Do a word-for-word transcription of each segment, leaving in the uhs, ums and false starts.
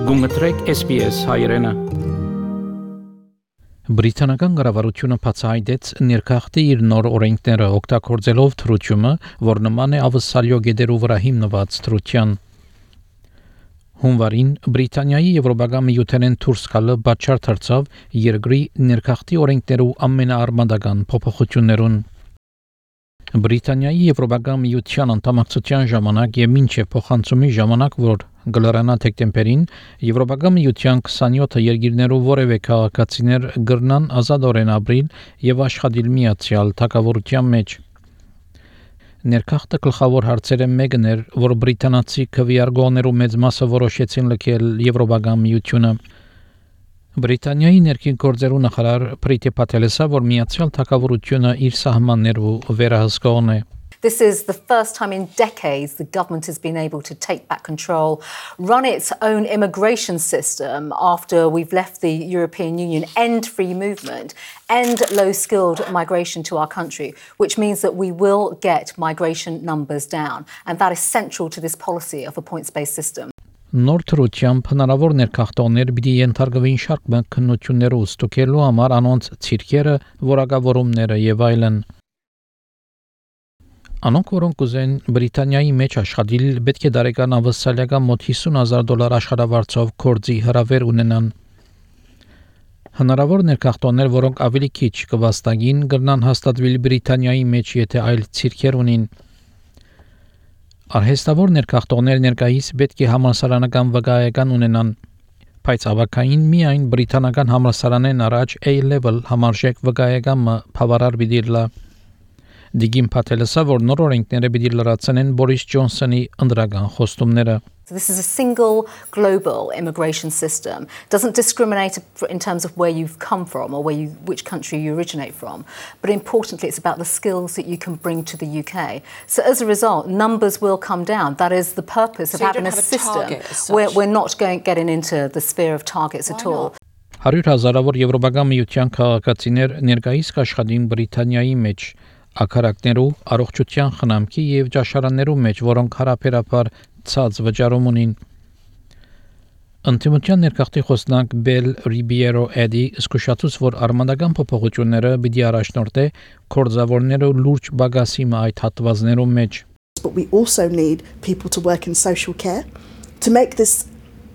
Գումտրեք S B S հայրենը։ Բրիտանական կառավարությունը բացահայտեց ներքախտի իր նոր օրենքները օգտագործելով թռչումը, որ նման է ավսալյո գեդերու վրա հիմնված թռչյան։ Հունվարին Բրիտանիայի Եվրոպական միութենեն դուրս գալը բաճար դարձավ երկրի ներքախտի օրենքներու ամենաարմատական փոփոխություններուն։ Բրիտանիայի Եվրոպական միության անդամակցության ժամանակ եւ մինչեւ փոխանցումի ժամանակ, որ գլորանա դեկտեմբերին Եվրոպական միության քսանյոթ երկիրներու որևէ քաղաքացիներ գրնան ազատորեն ապրիլ եւ աշխատել միացյալ թագավորության մեջ։ Ներքախտը գլխավոր հարցերը մեկն էր, որ բրիտանացի քվեարկողներու մեծ մասը որոշեցին լքել Եվրոպական միությունը։ Բրիտանիայի ներքին գործերու նախարար Պրիտի Պատելեսը, որ միացյալ թագավորությունը իր սահմաններու վերահսկողն է։ This is the first time in decades the government has been able to take back control, run its own immigration system after we've left the European Union, end free movement, end low-skilled migration to our country, which means that we will get migration numbers down. And that is central to this policy of a points-based system. Նոր թռչությամբ հնարավոր ներքախտողներ պիտի ենթարկվին շարք քննություններով ստուգելու համար անոնց ցիրկերը, որակավորումները եւ այլն։ Անոնք, որոնք ուզեն Բրիտանիայի մեջ աշխատել, պետք է դարեկան ավսալյական մոտ հիսուն հազար դոլար աշխատավարձով կորձի հրավեր ունենան։ Հնարավոր ներքախտողներ, որոնք ավելի քիչ կվաստակին, կգնան հաստատվել Բրիտանիայի մեջ, եթե այլ ցիրկեր ունին։ Արհեստավոր ներքախտողներ ներկայիս պետք է համալսարանական վկայական ունենան, բայց ավակային միայն բրիտանական համալսարանեն առաջ A-level համարժեք վկայականը բավարար պիտի լա։ Դիգին Պատելեսը, որ նոր օրենքները պիտի լրացնեն Բորիս Ջոնսոնի ընդրական խոստումները։ So this is a single global immigration system. It doesn't discriminate in terms of where you've come from or where you, which country you originate from. But importantly, it's about the skills that you can bring to the U K. So as a result, numbers will come down. That is the purpose of so having a system where we're not going getting into the sphere of targets at all. Հարյուր հազարավոր Եվրոպական միության քաղաքացիներ ներկայիս կաշխատին Բրիտանիայի մեջ, ակարակներու, առողջության խնամքի եւ ճաշարաններու մեջ, որոնք հարաբերաբար ցած վճարում ունին։ Ընտիմության ներքախտի խոսնակ Բել Ռիբիերո Էդի զսկուշացուց, որ արմատական փոփոխությունները պիտի առաջնորդե կորձավորներու լուրջ բագասի այդ հատվածներու մեջ։ But we also need people to work in social care to make this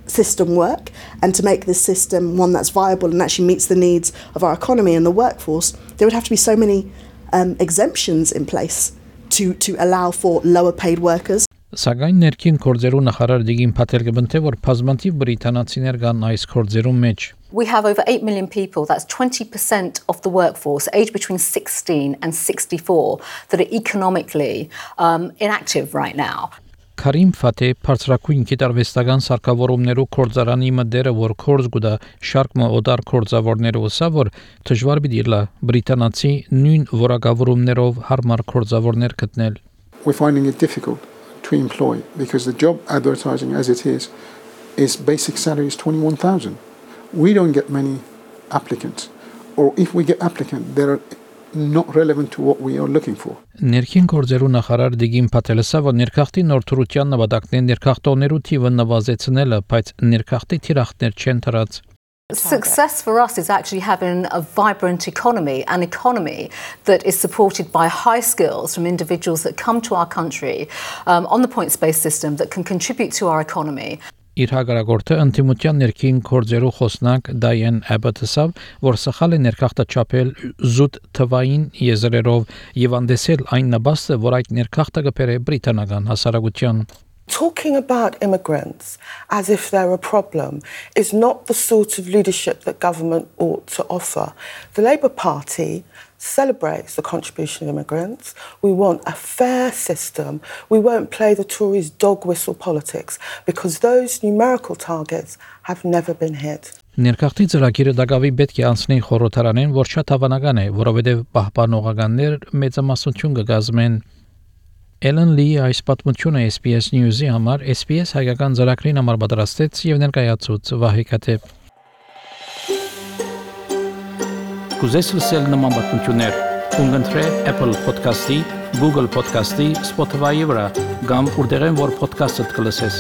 system work and to make this system one that's viable and actually meets the needs of our economy and the workforce. There would have to be so many um, exemptions in place to, to allow for lower paid workers. Սակայն ներքին գործերու նախարար Դիգին Պատել կբնթե, որ բազմաթիվ բրիտանացիներ կան այս գործերու մեջ։ We have over eight million people, that's twenty percent of the workforce, aged between sixteen and sixty-four, that are economically um, inactive right now. Քարիմ Ֆաթե բարձրակույն գիտարվեստական սարքավորումներու կորձարանի մդերը, որ կորձ գուտա շարք օդար կորձավորներու սա, որ դժվար պիտի լա բրիտանացի նույն որակավորումներով հարմար կորձավորներ գտնել։ We're finding it difficult to employ because the job advertising as it is is basic salary is twenty-one thousand. We don't get many applicants, or if we get applicants, they're not relevant to what we are looking for. Ներքին գործերու նախարար Դիգին Պատելեսը, որ ներքախտի նոր թռչյան նպատակն ներքախտողներու թիվը նվազեցնելը, բայց ներքախտի թիրախներ չեն դրած։ Success for us is actually having a vibrant economy, an economy that is supported by high skills from individuals that come to our country um, on the points-based system that can contribute to our economy. Իր հագարագորտը ընտիմության ներքին գործերու խոսնակ Դայեն Էբաթսը, որ սխալ է ներքախտը չափել զուտ թվային եզրերով եւ անդեսել այն նպաստը, որ այդ ներքախտը կբերե բրիտանական հասարակության։ Talking about immigrants as if they're a problem is not the sort of leadership that government ought to offer. The Labour Party celebrates the contribution of immigrants. We want a fair system. We won't play the Tories' dog whistle politics because those numerical targets have never been hit. Ներքախտի ծրագիրը դակավի պետք է անցնի խորհրդարանեն, որ շատ հավանական է, որովհետև պահպանողականներ մեծամասնություն կգազմեն։ Ellen Lee այս պատմությունը S B S News-ի համար S B S հայկական ծրագրին համար պատրաստեց եւ ներկայացուց Վահե Կատեփ։ Կուզես լսել նման պատմություններ, ունգընտրե Apple Podcast-ի, Google Podcast-ի, Spotify-ի վրա, կամ որտեղեն որ podcast-ը կլսես։